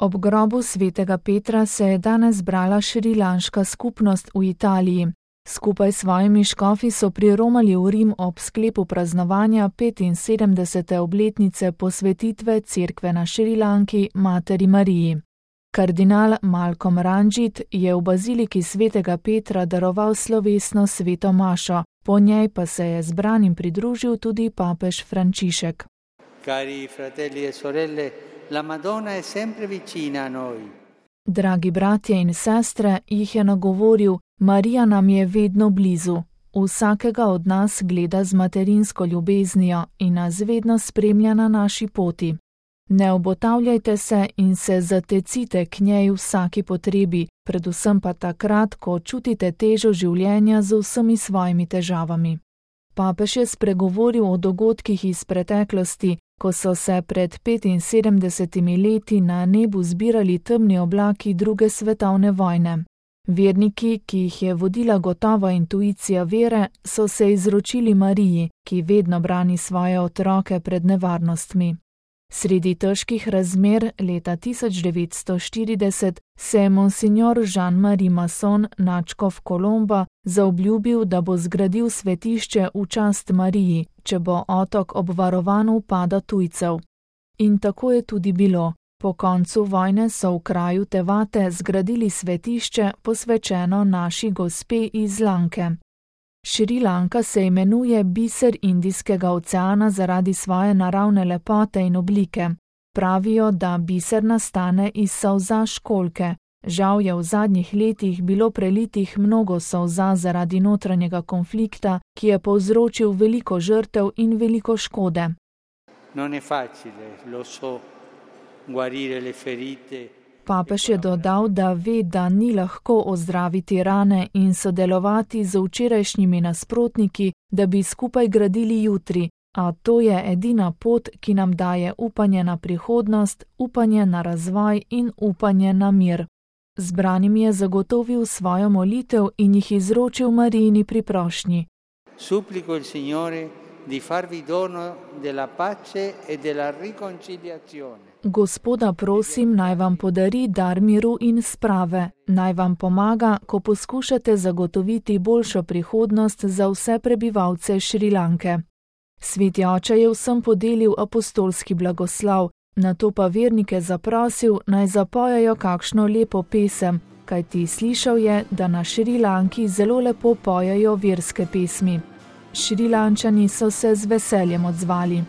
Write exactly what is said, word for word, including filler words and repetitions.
Ob grobu svetega Petra se je danes zbrala šrilanška skupnost v Italiji. Skupaj s svojimi škofi so priromali v Rim ob sklepu praznovanja petinsedemdesete obletnice posvetitve cerkve na Šrilanki Materi Mariji. Kardinal Malcolm Ranjit je v baziliki svetega Petra daroval slovesno sveto mašo, po njej pa se je zbranim pridružil tudi papež Frančišek. Cari fratelli e sorelle, la Madonna è sempre vicina a noi. Dragi bratje in sestre, jih je nagovoril, Marija nam je vedno blizu. Vsakega od nas gleda z materinsko ljubeznijo in nas vedno spremlja na naši poti. Ne obotavljajte se in se zatecite k njej v vsaki potrebi, predvsem pa takrat, ko čutite težo življenja z vsemi svojimi težavami. Papež je spregovoril o dogodkih iz preteklosti, ko so se pred petinsedemdesetimi leti na nebu zbirali temni oblaki druge svetovne vojne. Verniki, ki jih je vodila gotova intuicija vere, so se izročili Mariji, ki vedno brani svoje otroke pred nevarnostmi. Sredi težkih razmer leta tisoč devetsto štirideset se je monsignor Jean-Marie Masson, nadškof Kolomba, zaobljubil, da bo zgradil svetišče v čast Mariji, če bo otok obvarovan vpada tujcev. In tako je tudi bilo. Po koncu vojne so v kraju Tevate zgradili svetišče, posvečeno naši gospe iz Lanke. Šrilanka se imenuje biser Indijskega oceana zaradi svoje naravne lepote in oblike. Pravijo, da biser nastane iz solza školjke. Žal je v zadnjih letih bilo prelitih mnogo solza zaradi notranjega konflikta, ki je povzročil veliko žrtev in veliko škode. Non è facile, lo so, guarire le ferite. Papež je dodal, da ve, da ni lahko ozdraviti rane in sodelovati z včerajšnjimi nasprotniki, da bi skupaj gradili jutri, a to je edina pot, ki nam daje upanje na prihodnost, upanje na razvoj in upanje na mir. Zbranim je zagotovil svojo molitev in jih izročil Marijini priprošnji. Supplico il Signore di farvi dono della pace e della riconciliazione. Gospoda prosim, naj vam podari dar miru in sprave, naj vam pomaga, ko poskušate zagotoviti boljšo prihodnost za vse prebivalce Šrilanke. Sveti oče je vsem podelil apostolski blagoslov, nato pa vernike zaprosil, naj zapojajo kakšno lepo pesem, kajti slišal je, da na Šrilanki zelo lepo pojejo verske pesmi. Šrilančani so se z veseljem odzvali.